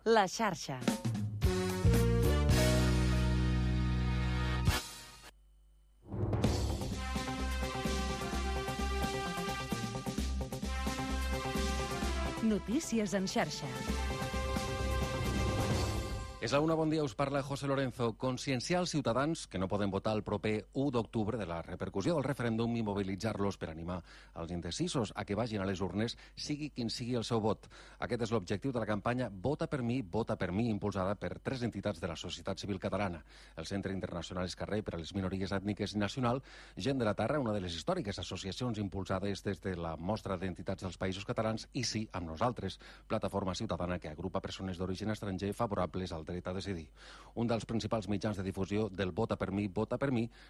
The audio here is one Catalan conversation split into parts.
La xarxa. Notícies en xarxa. És la una, bon dia, us parla José Lorenzo. Conscienciar els ciutadans que no poden votar el proper 1 d'octubre de la repercussió del referèndum i mobilitzar-los per animar els indecisos a que vagin a les urnes, sigui quin sigui el seu vot. Aquest és l'objectiu de la campanya Vota per mi, impulsada per 3 entitats de la societat civil catalana. El Centre Internacional Escarrer per a les Minories Ètniques i Nacional, Gent de la Terra, una de les històriques associacions impulsades des de la mostra d'entitats dels països catalans, i Sí amb nosaltres, plataforma ciutadana que agrupa persones d'origen estranger favorables al dret a decidir. Un dels principals mitjans de difusió del Vota per mi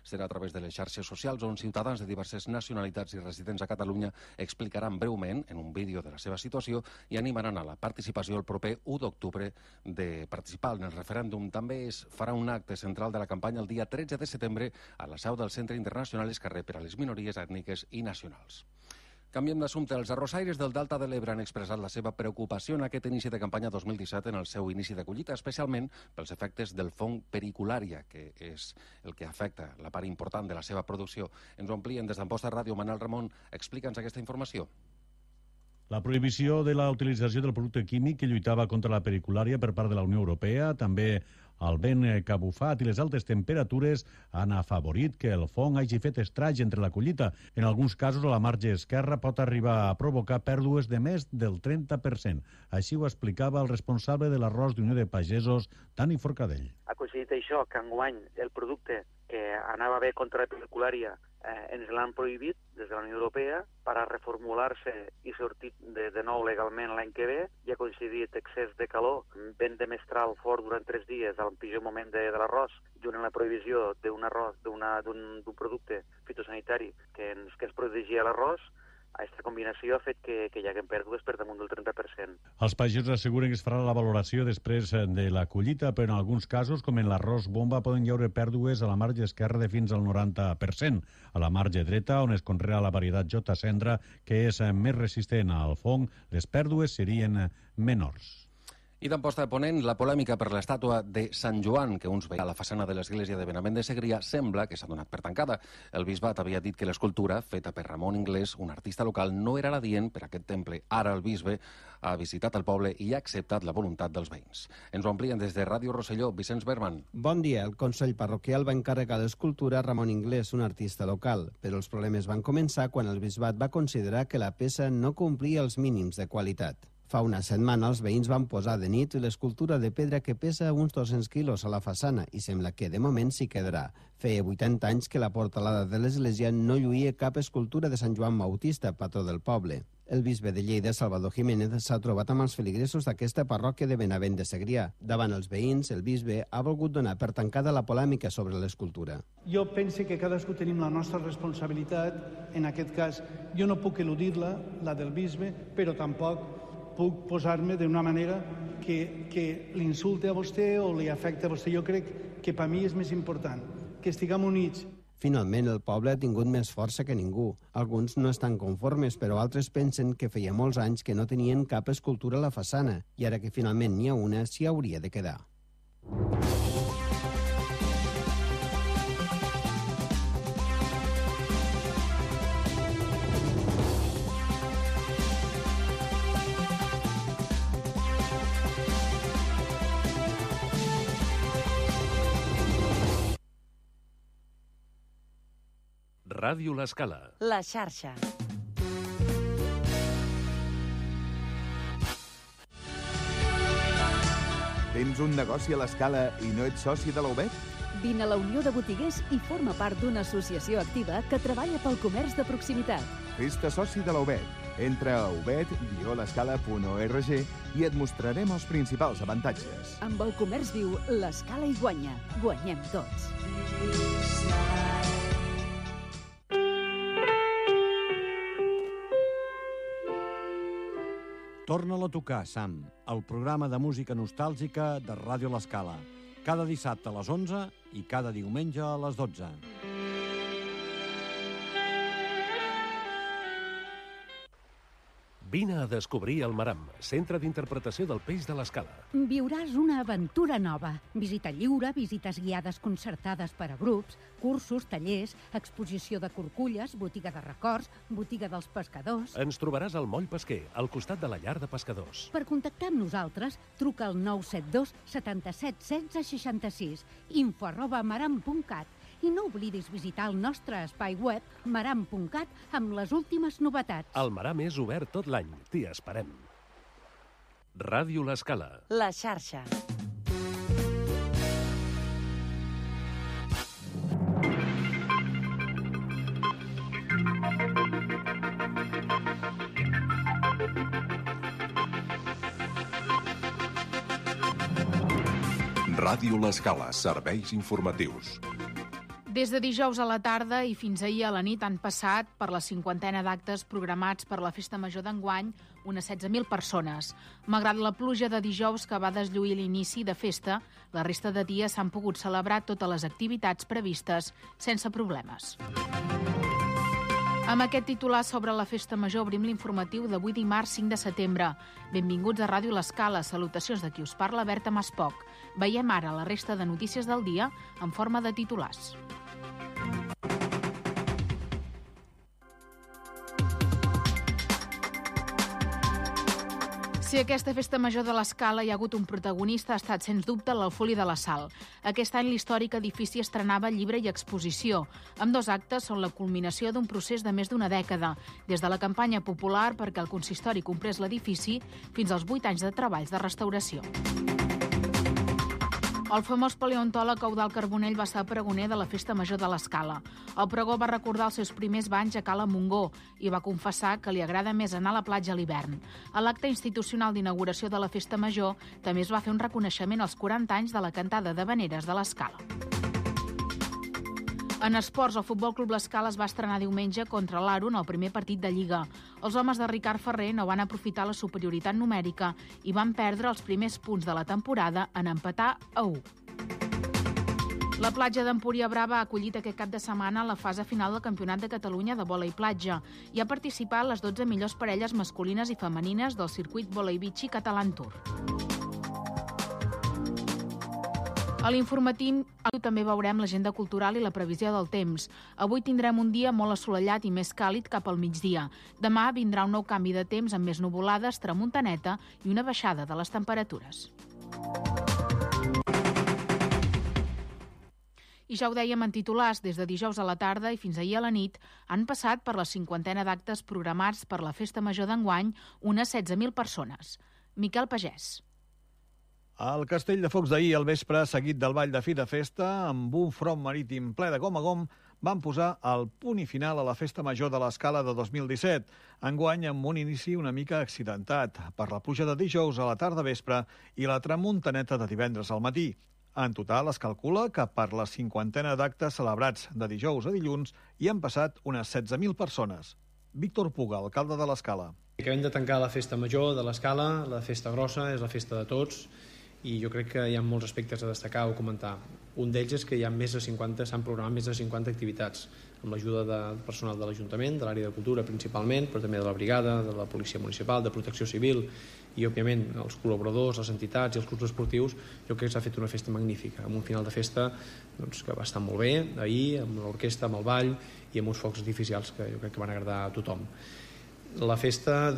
serà a través de les xarxes socials, on ciutadans de diverses nacionalitats i residents a Catalunya explicaran breument en un vídeo de la seva situació i animaran a la participació el proper 1 d'octubre de participar en el referèndum. També es farà un acte central de la campanya el dia 13 de setembre a la seu del Centre Internacional Escarrer per a les Minories Ètniques i Nacionals. Canviem d'assumpte. Els arrossaires del Delta de l'Ebre han expressat la seva preocupació en aquest inici de campanya 2017 en el seu inici de collita, especialment pels efectes del fong periculària, que és el que afecta la part important de la seva producció. Ens ho amplien des d'Amposta Ràdio. Manel Ramon, explica'ns aquesta informació. La prohibició de la utilització del producte químic que lluitava contra la periculària per part de la Unió Europea, també el vent que ha bufat i les altes temperatures han afavorit que el fong hagi fet estraig entre la collita. En alguns casos, a la marge esquerra pot arribar a provocar pèrdues de més del 30%. Així ho explicava el responsable de l'arròs d'Unió de Pagesos, Dani Forcadell. Ha coincidit això, que enguany el producte que anava bé contra la periculària ens l'han prohibit des de la Unió Europea per a reformular-se i sortir de nou legalment l'any que ve, i ha coincidit excés de calor, vent de mestral fort durant 3 dies al pitjor moment de l'arròs, junt amb la prohibició d'un producte fitosanitari que ens protegia l'arròs. Aquesta combinació ha fet que hi hagin pèrdues per damunt del 30%. Els pagesos asseguren que es farà la valoració després de la collita, però en alguns casos, com en l'arròs bomba, poden hi haure pèrdues a la marge esquerra de fins al 90%. A la marge dreta, on es conrea la varietat J. Cendra, que és més resistent al fong, les pèrdues serien menors. I d'Amposta de Ponent, la polèmica per l'estàtua de Sant Joan, que uns veien a la façana de l'església de Benavent de Segrià, sembla que s'ha donat per tancada. El bisbat havia dit que l'escultura, feta per Ramon Inglés, un artista local, no era l'adient per a aquest temple. Ara el bisbe ha visitat el poble i ha acceptat la voluntat dels veïns. Ens ho amplien des de Ràdio Rosselló, Vicenç Berman. Bon dia. El Consell Parroquial va encarregar l'escultura a Ramon Inglés, un artista local, però els problemes van començar quan el bisbat va considerar que la peça no complia els mínims de qualitat. Fa una setmana els veïns van posar de nit l'escultura de pedra que pesa uns 200 quilos a la façana i sembla que de moment s'hi quedarà. Feia 80 anys que la portalada de l'església no lluïa cap escultura de Sant Joan Bautista, patró del poble. El bisbe de Lleida, Salvador Jiménez, s'ha trobat amb els feligresos d'aquesta parròquia de Benavent de Segrià. Davant els veïns, el bisbe ha volgut donar per tancada la polèmica sobre l'escultura. Jo penso que cadascú tenim la nostra responsabilitat. En aquest cas, jo no puc eludir-la, la del bisbe, però tampoc puc posar-me d'una manera que l'insulte a vostè o li afecta a vostè. Jo crec que per mi és més important que estiguem units. Finalment, el poble ha tingut més força que ningú. Alguns no estan conformes, però altres pensen que feia molts anys que no tenien cap escultura a la façana i ara que finalment n'hi ha una, s'hi hauria de quedar. Ràdio L'Escala. La xarxa. Tens un negoci a l'Escala i no ets soci de la UBET? Vine a la Unió de Botiguers i forma part d'una associació activa que treballa pel comerç de proximitat. Fes-te soci de la UBET. Entra a ubet-l'escala.org i et mostrarem els principals avantatges. Amb el comerç viu, l'Escala hi guanya. Guanyem tots. Torna-la a tocar, Sam, el programa de música nostàlgica de Ràdio L'Escala. Cada dissabte a les 11 i cada diumenge a les 12. Vine a descobrir el Maram, centre d'interpretació del peix de l'Escala. Viuràs una aventura nova. Visita lliure, visites guiades concertades per a grups, cursos, tallers, exposició de corculles, botiga de records, botiga dels pescadors... Ens trobaràs al Moll Pesquer, al costat de la llar de pescadors. Per contactar amb nosaltres, truca al 972 77 16 66, info@maram.cat. I no oblidis visitar el nostre espai web maram.cat amb les últimes novetats. El Maram és obert tot l'any. T'hi esperem. Ràdio l'Escala. La xarxa. Ràdio l'Escala, serveis informatius. Des de dijous a la tarda i fins ahir a la nit han passat per la 50ena d'actes programats per la Festa Major d'enguany unes 16.000 persones. Malgrat la pluja de dijous que va deslluir l'inici de festa, la resta de dies s'han pogut celebrar totes les activitats previstes sense problemes. Amb aquest titular sobre la Festa Major obrim l'informatiu d'avui dimarts 5 de setembre. Benvinguts a Ràdio l'Escala. Salutacions de qui us parla, Berta Maspoc. Veiem ara la resta de notícies del dia en forma de titulars. Si aquesta Festa Major de l'Escala hi ha hagut un protagonista, ha estat, sens dubte, l'Alfoli de la Sal. Aquest any l'històric edifici estrenava llibre i exposició. Ambdós actes són la culminació d'un procés de més d'una dècada, des de la campanya popular perquè el consistori comprés l'edifici fins als 8 anys de treballs de restauració. El famós paleontòleg Eudald Carbonell va ser pregoner de la Festa Major de l'Escala. El pregó va recordar els seus primers banys a Cala Montgó i va confessar que li agrada més anar a la platja a l'hivern. A l'acte institucional d'inauguració de la Festa Major també es va fer un reconeixement als 40 anys de la cantada d'havaneres de l'Escala. En esports, el Futbol Club l'Escala es va estrenar diumenge contra l'Aro en el primer partit de Lliga. Els homes de Ricard Ferrer no van aprofitar la superioritat numèrica i van perdre els primers punts de la temporada en empatar a 1. La platja d'Empúria Brava ha acollit aquest cap de setmana la fase final del Campionat de Catalunya de vòlei platja i ha participat les 12 millors parelles masculines i femenines del circuit Vòlei Beach Catalan Tour. A l'informatiu també veurem l'agenda cultural i la previsió del temps. Avui tindrem un dia molt assolellat i més càlid cap al migdia. Demà vindrà un nou canvi de temps amb més nuvolades, tramuntaneta i una baixada de les temperatures. I ja ho dèiem en titulars, des de dijous a la tarda i fins ahir a la nit han passat per la 50ena d'actes programats per la Festa Major d'enguany unes 16.000 persones. Miquel Pagès. El castell de focs d'ahir al vespre, seguit del ball de fi de festa, amb un front marítim ple de gom a gom, van posar el punt i final a la Festa Major de l'Escala de 2017, enguany amb un inici una mica accidentat, per la pluja de dijous a la tarda vespre i la tramuntaneta de divendres al matí. En total, es calcula que per la 50ena d'actes celebrats de dijous a dilluns hi han passat unes 16.000 persones. Víctor Puga, alcalde de l'Escala. Acabem de tancar la Festa Major de l'Escala, la festa grossa, és la festa de tots, i jo crec que hi ha molts aspectes a destacar o comentar. Un d'ells és que hi ha s'han programat més de 50 activitats, amb l'ajuda del personal de l'Ajuntament, de l'àrea de cultura principalment, però també de la brigada, de la policia municipal, de protecció civil i, òbviament, els col·laboradors, les entitats i els clubs esportius. Jo crec que s'ha fet una festa magnífica, amb un final de festa que va estar molt bé, ahir, amb l'orquestra, amb el ball i amb uns focs artificials que jo crec que van agradar a tothom. La festa,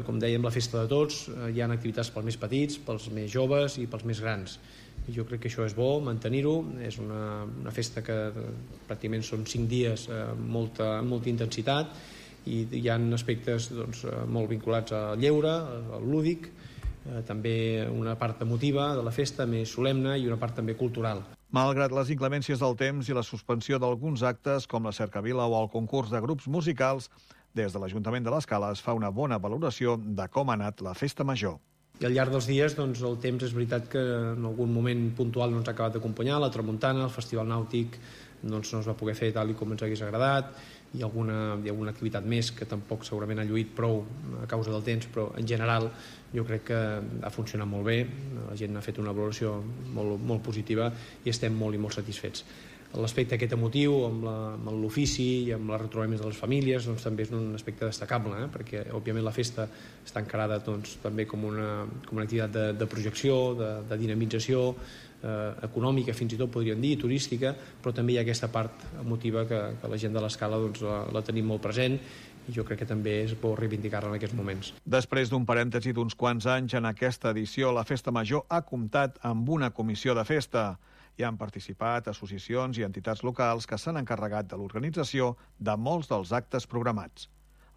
com dèiem, la festa de tots, hi ha activitats pels més petits, pels més joves i pels més grans. I jo crec que això és bo, mantenir-ho. És una festa que pràcticament són 5 dies amb molta intensitat i hi ha aspectes molt vinculats al lleure, al lúdic, també una part emotiva de la festa més solemne i una part també cultural. Malgrat les inclemències del temps i la suspensió d'alguns actes com la cercavila o el concurs de grups musicals, des de l'Ajuntament de l'Escala es fa una bona valoració de com ha anat la Festa Major. I al llarg dels dies el temps és veritat que en algun moment puntual no ens ha acabat d'acompanyar, la tramuntana, el festival nàutic no es va poder fer tal com ens hagués agradat, i alguna activitat més que tampoc segurament ha lluït prou a causa del temps, però en general jo crec que ha funcionat molt bé, la gent ha fet una valoració molt positiva i estem molt i molt satisfets. l'aspecte aquest emotiu, amb l'ofici i amb les retrobaments de les famílies, doncs també és un aspecte destacable, perquè òbviament la festa està encarada doncs, també com una activitat de projecció, de dinamització econòmica, fins i tot podríem dir, turística, però també hi ha aquesta part emotiva que la gent de l'Escala doncs, la tenim molt present, i jo crec que també és bo reivindicar-la en aquests moments. Després d'un parèntesi d'uns quants anys, en aquesta edició la Festa Major ha comptat amb una comissió de festa. Hi han participat associacions i entitats locals que s'han encarregat de l'organització de molts dels actes programats.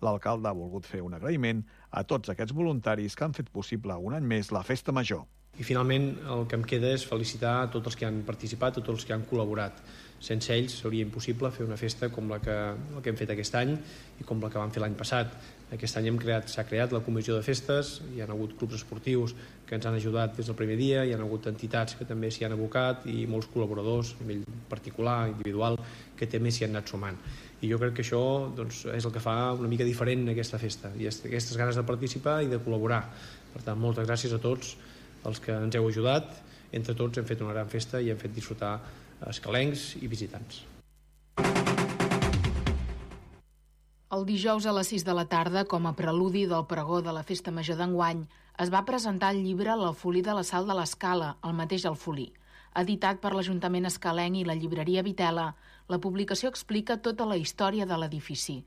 L'alcalde ha volgut fer un agraïment a tots aquests voluntaris que han fet possible un any més la Festa Major. I finalment el que em queda és felicitar a tots els que han participat, a tots els que han col·laborat. Sense ells seria impossible fer una festa com la que hem fet aquest any i com la que vam fer l'any passat. Aquest any s'ha creat la comissió de festes, hi ha hagut clubs esportius que ens han ajudat des del primer dia, hi ha hagut entitats que també s'hi han abocat i molts col·laboradors, a nivell particular, individual, que també s'hi han anat sumant. I jo crec que això doncs, és el que fa una mica diferent aquesta festa, i aquestes ganes de participar i de col·laborar. Per tant, moltes gràcies a tots els que ens heu ajudat. Entre tots hem fet una gran festa i hem fet disfrutar escalencs i visitants. El dijous a les 6 de la tarda, com a preludi del pregó de la Festa Major d'enguany, es va presentar el llibre L'Alfolí de la Sal de l'Escala, el mateix Alfolí. Editat per l'Ajuntament escalenc i la llibreria Vitela, la publicació explica tota la història de l'edifici.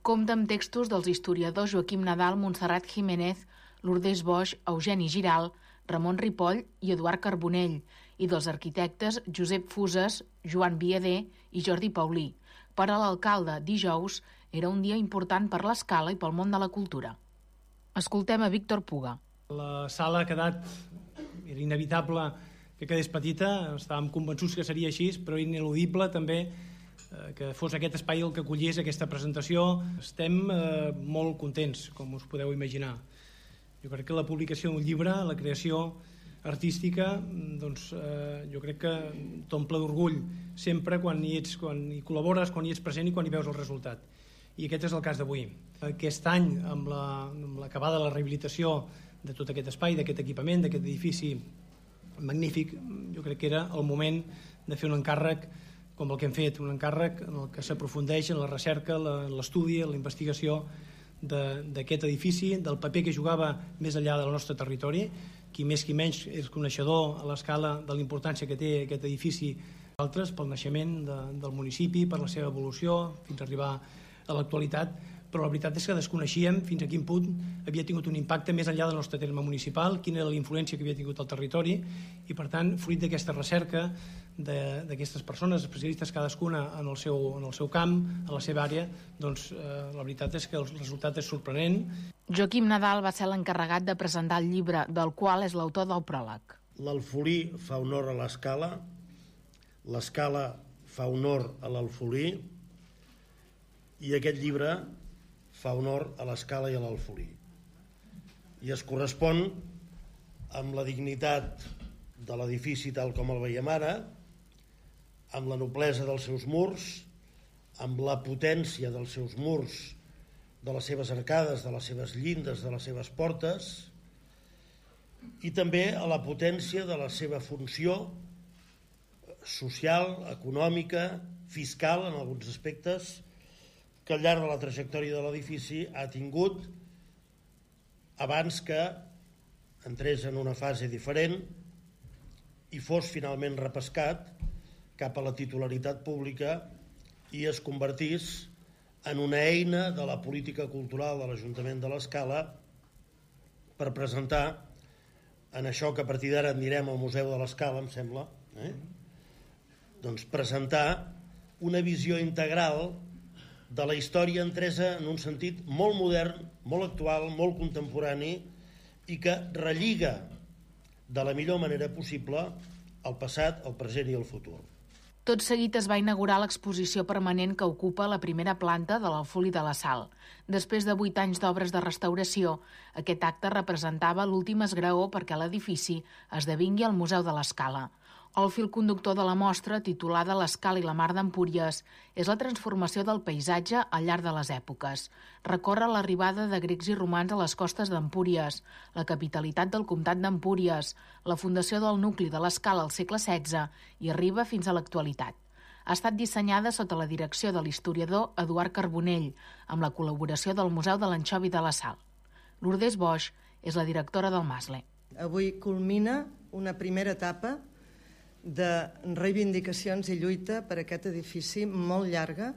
Compta amb textos dels historiadors Joaquim Nadal, Montserrat Jiménez, Lourdes Boix, Eugeni Giral, Ramon Ripoll i Eduard Carbonell, i dels arquitectes Josep Fuses, Joan Viader i Jordi Paulí. Per a l'alcalde, dijous era un dia important per l'Escala i pel món de la cultura. Escoltem a Víctor Puga. La sala ha quedat, era inevitable que quedés petita, estàvem convençuts que seria així, però ineludible també que fos aquest espai el que acollís aquesta presentació. Estem molt contents, com us podeu imaginar. Jo crec que la publicació d'un llibre, la creació artística, doncs, jo crec que t'omple d'orgull sempre quan hi col·labores, quan hi ets present i quan hi veus el resultat. I aquest és el cas d'avui. Aquest any, amb l'acabada de la rehabilitació de tot aquest espai, d'aquest equipament, d'aquest edifici magnífic, jo crec que era el moment de fer un encàrrec com el que hem fet, un encàrrec en el que s'aprofundeix en la recerca, l'estudi, la investigació d'aquest edifici, del paper que jugava més enllà del nostre territori. Qui més qui menys és coneixedor a l'Escala de la importància que té aquest edifici, altres pel naixement del municipi, per la seva evolució, fins a arribar a l'actualitat, però la veritat és que desconeixíem fins a quin punt havia tingut un impacte més enllà del nostre terme municipal, quina era la influència que havia tingut al territori, i per tant, fruit d'aquesta recerca d'aquestes persones, especialistes cadascuna en el seu camp, en la seva àrea, doncs la veritat és que el resultat és sorprenent. Joaquim Nadal va ser l'encarregat de presentar el llibre, del qual és l'autor del pròleg. L'Alfolí fa honor a l'Escala, l'Escala fa honor a l'Alfolí, i aquest llibre fa honor a l'Escala i a l'Alfolí. I es correspon amb la dignitat de l'edifici tal com el veiem ara, amb la noblesa dels seus murs, amb la potència dels seus murs, de les seves arcades, de les seves llindes, de les seves portes, i també a la potència de la seva funció social, econòmica, fiscal, en alguns aspectes, que al llarg de la trajectòria de l'edifici ha tingut abans que entrés en una fase diferent i fos finalment repescat cap a la titularitat pública i es convertís en una eina de la política cultural de l'Ajuntament de l'Escala per presentar en això que a partir d'ara en direm el Museu de l'Escala, em sembla, doncs presentar una visió integral de la història entresa en un sentit molt modern, molt actual, molt contemporani i que relliga de la millor manera possible el passat, el present i el futur. Tot seguit es va inaugurar l'exposició permanent que ocupa la primera planta de l'Alfolí de la Sal. Després de 8 anys d'obres de restauració, aquest acte representava l'últim esgraó perquè l'edifici esdevingui el Museu de l'Escala. El fil conductor de la mostra, titulada L'Escala i la Mar d'Empúries, és la transformació del paisatge al llarg de les èpoques. Recorre l'arribada de grecs i romans a les costes d'Empúries, la capitalitat del comtat d'Empúries, la fundació del nucli de l'Escala al segle XVI i arriba fins a l'actualitat. Ha estat dissenyada sota la direcció de l'historiador Eduard Carbonell, amb la col·laboració del Museu de l'Anxovi de la Sal. Lourdes Boix és la directora del Masle. Avui culmina una primera etapa de reivindicacions i lluita per aquest edifici molt llarga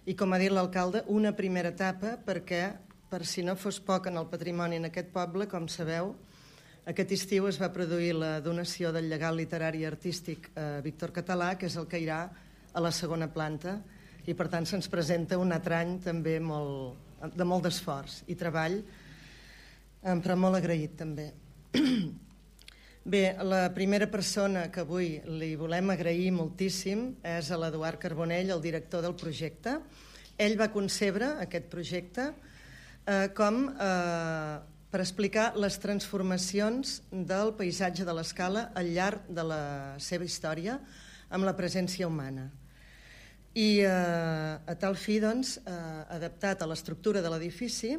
i, com ha dit l'alcalde, una primera etapa perquè, per si no fos poc en el patrimoni en aquest poble, com sabeu, aquest estiu es va produir la donació del llegat literari i artístic a Víctor Català, que és el que irà a la segona planta, i per tant se'ns presenta un altre any també de molt d'esforç i treball, però molt agraït també. Bé, la primera persona que avui li volem agrair moltíssim és a l'Eduard Carbonell, el director del projecte. Ell va concebre aquest projecte per explicar les transformacions del paisatge de l'Escala al llarg de la seva història amb la presència humana. I a tal fi, doncs, adaptat a l'estructura de l'edifici,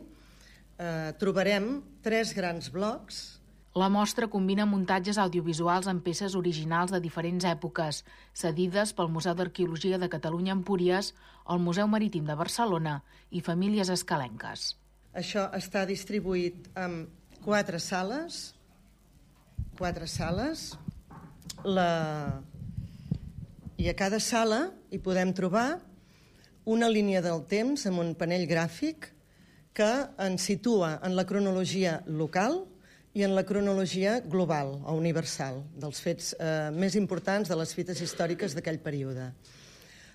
trobarem 3 grans blocs. La mostra combina muntatges audiovisuals amb peces originals de diferents èpoques, cedides pel Museu d'Arqueologia de Catalunya Empúries, el Museu Marítim de Barcelona i famílies escalenques. Això està distribuït en 4 sales. I a cada sala hi podem trobar una línia del temps amb un panell gràfic que ens situa en la cronologia local i en la cronologia global o universal dels fets més importants de les fites històriques d'aquell període.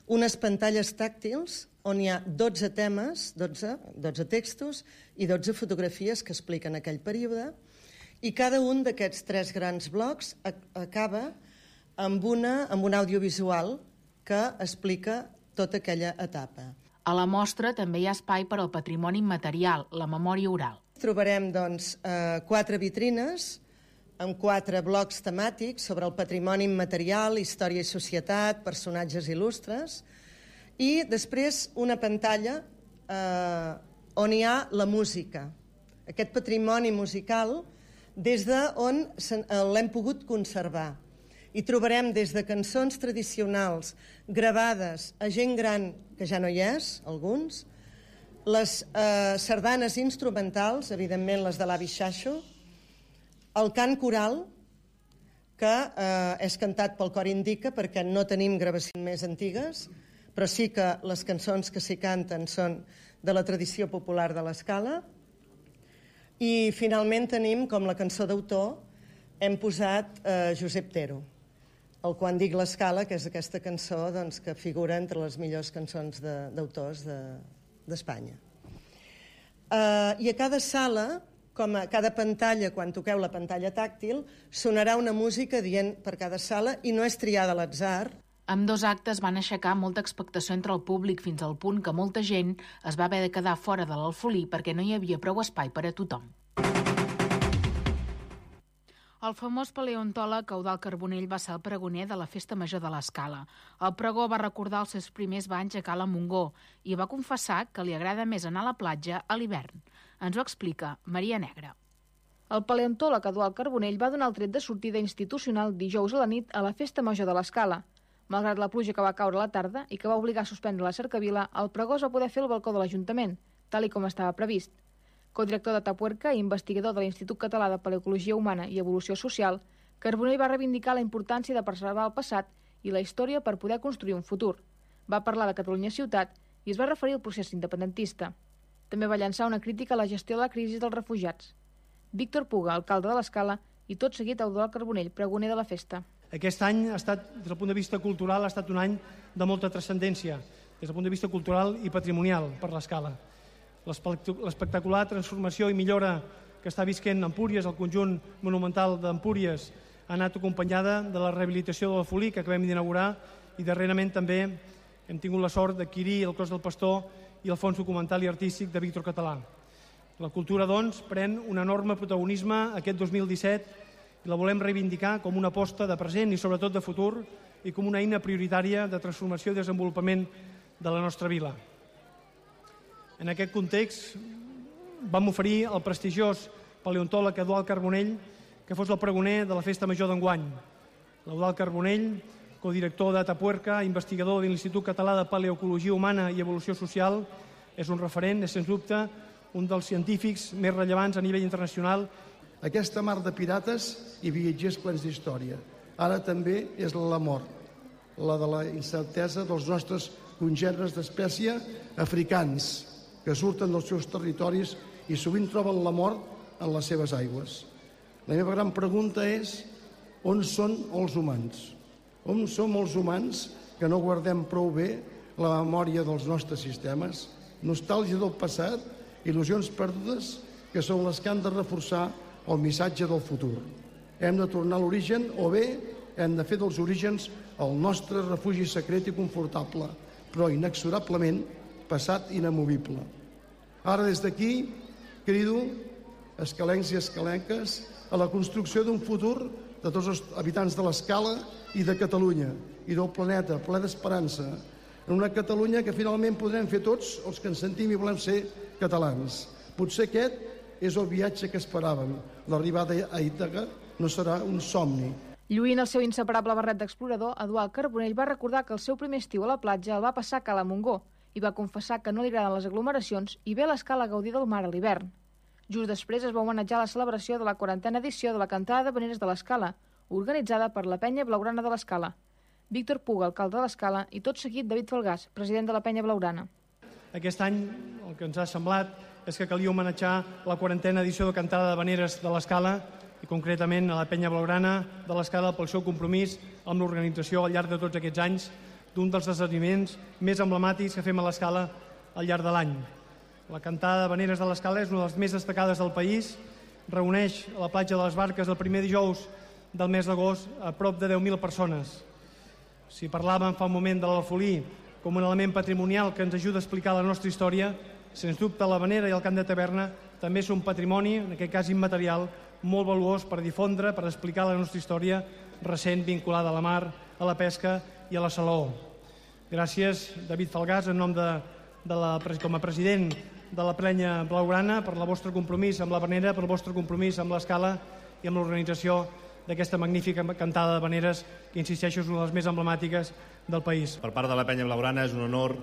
Unes pantalles tàctils on hi ha 12 temes, 12 textos i 12 fotografies que expliquen aquell període, i cada un d'aquests 3 grans blocs acaba amb un audiovisual que explica tota aquella etapa. A la mostra també hi ha espai per al patrimoni immaterial, la memòria oral. Trobarem, doncs, 4 vitrines amb 4 blocs temàtics sobre el patrimoni immaterial, història i societat, personatges il·lustres, i després una pantalla on hi ha la música, aquest patrimoni musical des d'on l'hem pogut conservar. Hi trobarem des de cançons tradicionals gravades a gent gran, que ja no hi és, alguns, les sardanes instrumentals, evidentment les de l'avi Xaixo, el cant coral, que és cantat pel Cor Indica perquè no tenim gravacions més antigues, però sí que les cançons que s'hi canten són de la tradició popular de l'Escala. I finalment tenim, com la cançó d'autor, hem posat Josep Tero, el Quan dic l'Escala, que és aquesta cançó que figura entre les millors cançons d'autors d'Espanya. I a cada sala, com a cada pantalla, quan toqueu la pantalla tàctil, sonarà una música dient per cada sala i no és triada a l'atzar. Amb 2 actes van aixecar molta expectació entre el públic fins al punt que molta gent es va haver de quedar fora de l'Alfolí perquè no hi havia prou espai per a tothom. El famós paleontòleg Eudald Carbonell va ser el pregoner de la Festa Major de l'Escala. El pregó va recordar els seus primers banys a Cala Montgó i va confessar que li agrada més anar a la platja a l'hivern. Ens ho explica Maria Negra. El paleontòleg Eudald Carbonell va donar el tret de sortida institucional dijous a la nit a la Festa Major de l'Escala. Malgrat la pluja que va caure a la tarda i que va obligar a suspendre la cercavila, el pregó es va poder fer al balcó de l'Ajuntament, tal com estava previst. Codirector de Tapuerca i investigador de l'Institut Català de Paleocologia Humana i Evolució Social, Carbonell va reivindicar la importància de preservar el passat i la història per poder construir un futur. Va parlar de Catalunya ciutat i es va referir al procés independentista. També va llançar una crítica a la gestió de la crisi dels refugiats. Víctor Puga, alcalde de l'Escala, i tot seguit Eudald Carbonell, pregoner de la festa. Aquest any ha estat, des del punt de vista cultural, ha estat un any de molta transcendència, des del punt de vista cultural i patrimonial per l'Escala. L'espectacular transformació i millora que està visquent Empúries, el conjunt monumental d'Empúries, ha anat acompanyada de la rehabilitació de l'Alfolí, que acabem d'inaugurar, i darrerament també hem tingut la sort d'adquirir el Clos del Pastor i el Fons Documental i Artístic de Víctor Català. La cultura, doncs, pren un enorme protagonisme aquest 2017 i la volem reivindicar com una aposta de present i sobretot de futur i com una eina prioritària de transformació i desenvolupament de la nostra vila. En aquest context vam oferir al prestigiós paleontòleg Eudald Carbonell que fos el pregoner de la Festa Major d'enguany. L'Eudald Carbonell codirector d'Atapuerca, investigador de l'Institut Català de Paleoecologia Humana i Evolució Social. És un referent, és sens dubte un dels científics més rellevants a nivell internacional. Aquesta mar de pirates i viatgers plens d'història. Ara també és la mort, la de la incertesa dels nostres congèneres d'espècie africans, que surten dels seus territoris i sovint troben la mort en les seves aigües. La meva gran pregunta és: on són els humans? On som els humans que no guardem prou bé la memòria dels nostres sistemes? Nostàlgia del passat, il·lusions perdudes, que són les que han de reforçar el missatge del futur. Hem de tornar a l'origen o bé hem de fer dels orígens el nostre refugi secret i confortable, però inexorablement passat inamovible. Ara des d'aquí crido escalencs i escalenques a la construcció d'un futur de tots els habitants de l'Escala i de Catalunya i del planeta, ple d'esperança, en una Catalunya que finalment podrem fer tots els que ens sentim i volem ser catalans. Potser aquest és el viatge que esperàvem. L'arribada a Ítaca no serà un somni. Lluint el seu inseparable barret d'explorador, Eduard Carbonell va recordar que el seu primer estiu a la platja el va passar a Cala Montgó i va confessar que no li agraden les aglomeracions i ve a l'Escala a gaudir del mar a l'hivern. Just després es va homenatjar la celebració de la 40a edició de la Cantada d'Havaneres de l'Escala, organitzada per la Penya Blaugrana de l'Escala. Víctor Puga, alcalde de l'Escala, i tot seguit David Falgàs, president de la Penya Blaugrana. Aquest any el que ens ha semblat és que calia homenatjar la 40a edició de Cantada d'Havaneres de l'Escala i concretament a la Penya Blaugrana de l'Escala pel seu compromís amb l'organització al llarg de tots aquests anys d'un dels esdeveniments més emblemàtics que fem a l'Escala al llarg de l'any. La Cantada d'Havaneres de l'Escala és una de les més destacades del país, reuneix a la platja de les Barques el primer dijous del mes d'agost a prop de 10.000 persones. Si parlàvem fa un moment de l'alfolí com un element patrimonial que ens ajuda a explicar la nostra història, sens dubte l'Havanera i el Camp de Taverna també són patrimoni, en aquest cas immaterial, molt valuós per difondre, per explicar la nostra història recent vinculada a la mar, a la pesca i a la salaó. Gràcies, David Falgàs, en nom com a president de la Penya Blaugrana, per el vostre compromís amb l'Havanera, per el vostre compromís amb l'Escala i amb l'organització d'aquesta magnífica cantada d'havaneres que, insisteixo, és una de les més emblemàtiques del país. Per part de la Penya Blaugrana és un honor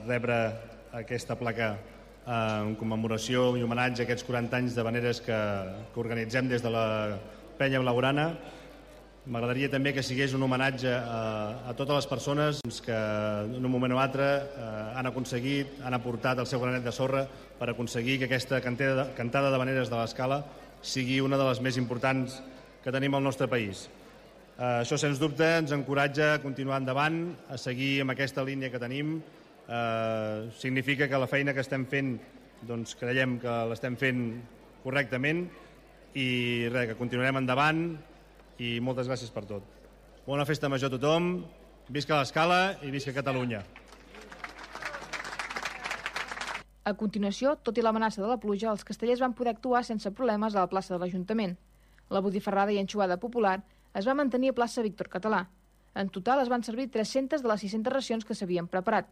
rebre aquesta placa en commemoració i homenatge a aquests 40 anys d'havaneres que organitzem des de la Penya Blaugrana. M'agradaria també que sigués un homenatge a totes les persones que en un moment o altre han aconseguit, han aportat el seu granet de sorra per aconseguir que aquesta cantada d'havaneres de l'Escala sigui una de les més importants que tenim al nostre país. Això, sens dubte, ens encoratja a continuar endavant, a seguir amb aquesta línia que tenim. Significa que la feina que estem fent, doncs creiem que l'estem fent correctament i res, que continuarem endavant i moltes gràcies per tot. Bona festa major a tothom, visca l'Escala i visca Catalunya. A continuació, tot i l'amenaça de la pluja, els castellers van poder actuar sense problemes a la plaça de l'Ajuntament. La botifarrada i anxoada popular es va mantenir a plaça Víctor Català. En total es van servir 300 de les 600 racions que s'havien preparat.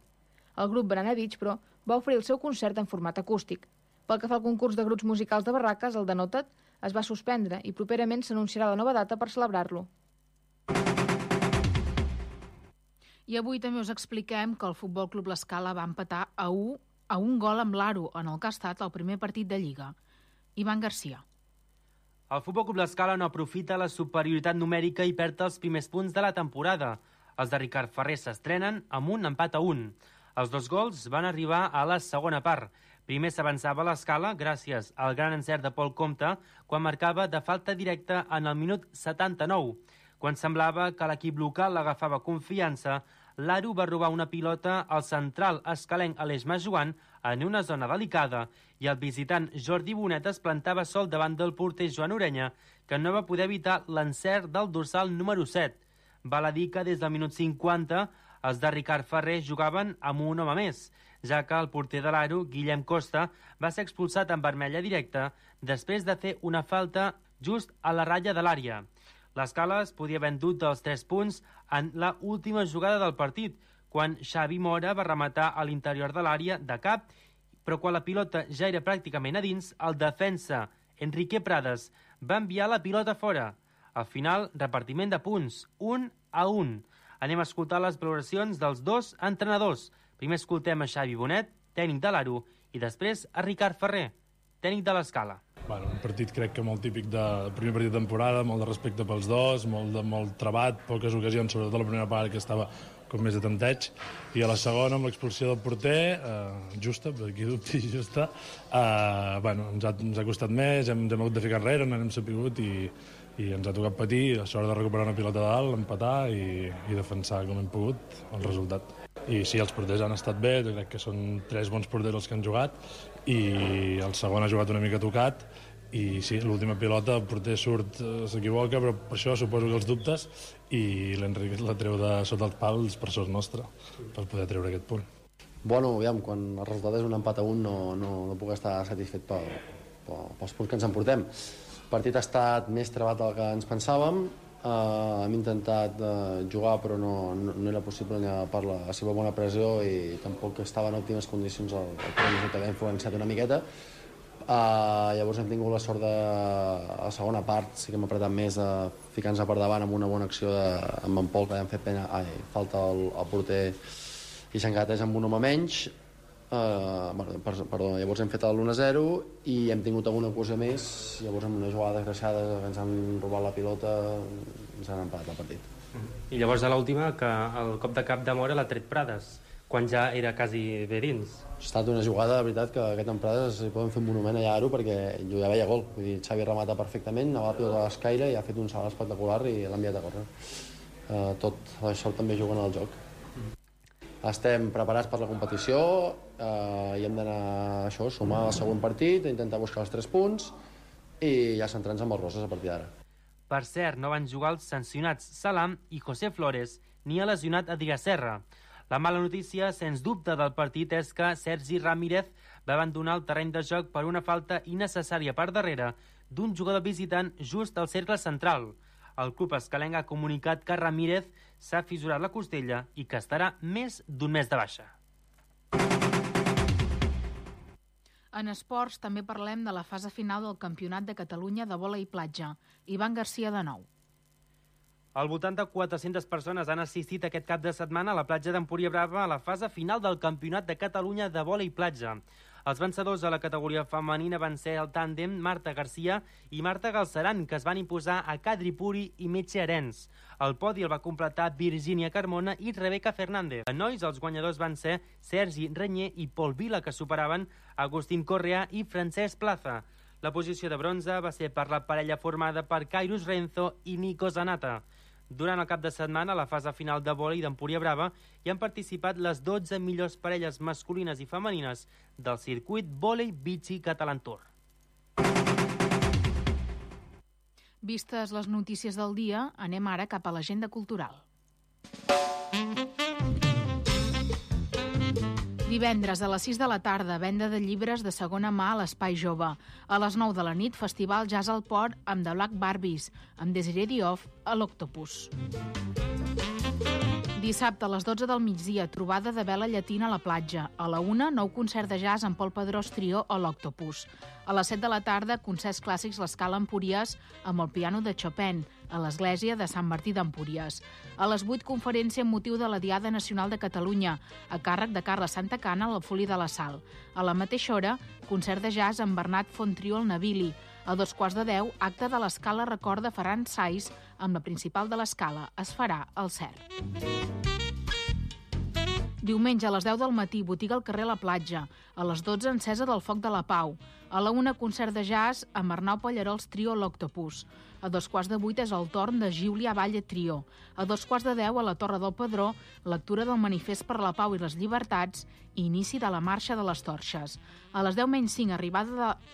El grup Banana Beach, però, va oferir el seu concert en format acústic. Pel que fa al concurs de grups musicals de barraques, el Denota't es va suspendre i properament s'anunciarà la nova data per celebrar-lo. I avui també us expliquem que el Futbol Club l'Escala va empatar a un gol amb l'Aro en el que ha estat el primer partit de Lliga. Ivan Garcia. El Futbol Club l'Escala no aprofita la superioritat numèrica i perd els primers punts de la temporada. Els de Ricard Ferrer s'estrenen amb un empat a 1. Els 2 gols van arribar a la segona part. Primer s'avançava l'Escala gràcies al gran encert de Pol Comte quan marcava de falta directa en el minut 79. Quan semblava que l'equip local l'agafava confiança, l'Aro va robar una pilota al central escalenc Aleix Majoan en una zona delicada i el visitant Jordi Bonet es plantava sol davant del porter Joan Orenya, que no va poder evitar l'encert del dorsal número 7. Val a dir que des del minut 50 els de Ricard Ferrer jugaven amb un home més, ja que el porter de l'Aro, Guillem Costa, va ser expulsat en vermella directa després de fer una falta just a la ratlla de l'àrea. L'Escala es podia haver endut dels 3 punts en la última jugada del partit, quan Xavi Mora va rematar a l'interior de l'àrea de cap, però quan la pilota ja era pràcticament a dins, el defensa Enrique Prades va enviar la pilota fora. Al final, repartiment de punts, 1-1. Anem a escoltar les valoracions dels dos entrenadors. Primer escoltem a Xavi Bonet, tècnic de l'Aro, i després a Ricard Ferrer, tècnic de l'Escala. Bueno, un partit crec que molt típic de primer partit de temporada, molt de respecte pels dos, molt trebat, poques ocasions, sobretot la primera part que estava com més de tanteig, i a la segona amb l'expulsió del porter, justa, per aquí dubti, justa, ens ha costat més, hem hagut de ficar enrere, no hem sapigut i ens ha tocat patir, a l'hora de recuperar una pilota de dalt, empatar i defensar com hem pogut el resultat. I sí, els porters han estat bé, jo crec que són 3 bons porters els que han jugat, i el segon ha jugat una mica tocat, i sí, l'última pilota, el porter surt, s'equivoca, però per això suposo que els dubtes, i l'Enric la treu de sota els pals per sort nostre, per poder treure aquest punt. Bueno, aviam, quan el resultat és un empat a 1 no puc estar satisfet pels punts que ens emportem. El partit ha estat més trebat del que ens pensàvem, hem intentat jugar però no era possible per la seva bona pressió i tampoc estava en òptimes condicions el primer que ha influenciat una miqueta. Llavors hem tingut la sort de a la segona part sí que hem apretat més ficant-nos per davant amb una bona acció amb en Pol que hem fet falta al porter i s'engateix amb un home menys. Llavors hem fet l'1-0 i hem tingut alguna cosa més, llavors amb una jugada desgraciada que ens han robat la pilota ens han empatat el partit. I llavors a l'última que el cop de cap de Mora l'ha tret Prades, quan ja era quasi bé dins. Ha estat una jugada, de veritat, que aquest en Prades hi poden fer un monument allà a Aro perquè jo ja veia gol, vull dir, Xavi remata perfectament, anava la pilota a l'escaire i ha fet un salt espectacular i l'ha enviat a córrer. Tot això també juguen al joc. Estem preparats per la competició i hem d'anar a sumar el següent partit, intentar buscar els 3 punts i ja centrar-nos amb els roses a partir d'ara. Per cert, no van jugar els sancionats Salam i José Flores, ni el lesionat Adrià Serra. La mala notícia, sens dubte, del partit és que Sergi Ramírez va abandonar el terreny de joc per una falta innecessària per darrere d'un jugador visitant just al cercle central. El club escalenc ha comunicat que Ramírez s'ha fissurat la costella i que estarà més d'un mes de baixa. En esports també parlem de la fase final del Campionat de Catalunya de vòlei platja. Ivan Garcia de nou. Al voltant de 400 persones han assistit aquest cap de setmana a la platja d'Empúria Brava a la fase final del Campionat de Catalunya de vòlei platja. Els vencedors a la categoria femenina van ser el tàndem Marta Garcia i Marta Galceran, que es van imposar a Kadri Puri i Metge Arens. El podi el va completar Virgínia Carmona i Rebeca Fernández. En nois, els guanyadors van ser Sergi Renyer i Pol Vila, que superaven Agustín Correa i Francesc Plaza. La posició de bronze va ser per la parella formada per Kairos Renzo i Nico Zanata. Durant el cap de setmana, a la fase final de vòlei d'Empúria Brava, hi han participat les 12 millors parelles masculines i femenines del circuit Vòlei Bici Catalan Tour. Vistes les notícies del dia, anem ara cap a l'agenda cultural. Divendres a les 6 de la tarda, venda de llibres de segona mà a l'Espai Jove. A les 9 de la nit, Festival Jazz al Port amb The Black Barbies, amb Desiree Diouf a l'Octopus. Dissabte a les 12 del migdia, trobada de vela llatina a la platja. A la 1, nou concert de jazz amb Pol Pedrós Trio a l'Octopus. A les 7 de la tarda, concerts clàssics l'Escala Empúries amb el piano de Chopin, a l'església de Sant Martí d'Empúries. A les 8, conferència amb motiu de la Diada Nacional de Catalunya, a càrrec de Carles Santacana a la Foli de la Sal. A la mateixa hora, concert de jazz amb Bernat Fontrio al Navili. A 2:15, acte de l'Escala Record de Ferran Sais amb la principal de l'Escala. Es farà al CERN. Diumenge a les 10 del matí, botiga al carrer La Platja. A les 12, encesa del Foc de la Pau. A la 1, concert de jazz amb Arnau Pallarols Trio a l'Octopus. A 2:15 és el torn de Giulia Valle Trio. A 2:10 a la Torre del Pedró, lectura del Manifest per la Pau i les Llibertats i inici de la Marxa de les Torxes. A les 10:05,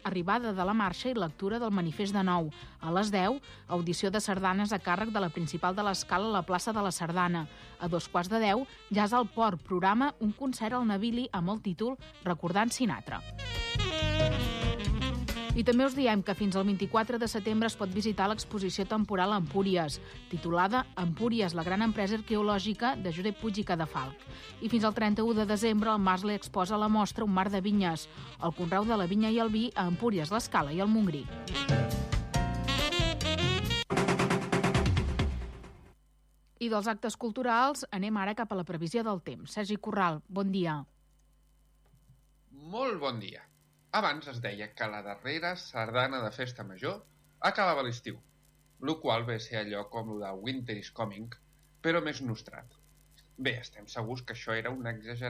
arribada de la marxa i lectura del Manifest de nou. A les 10, audició de sardanes a càrrec de la principal de l'Escala a la plaça de la Sardana. A 2:15, Jazz al Port, programa un concert al Navili amb el títol Recordant Sinatra. I també us diem que fins al 24 de setembre es pot visitar l'exposició temporal Empúries, titulada Empúries, la gran empresa arqueològica de Josep Puig i Cadafalch. I fins al 31 de desembre el Masle exposa a la mostra un mar de vinyes, el conreu de la vinya i el vi a Empúries, l'Escala i el Montgrí. I dels actes culturals anem ara cap a la previsió del temps. Sergi Corral, bon dia. Molt bon dia. Abans es deia que la darrera sardana de Festa Major acabava l'estiu, el qual ve a ser allò com el de Winter is Coming, però més nostrat. Bé, estem segurs que això era una exageració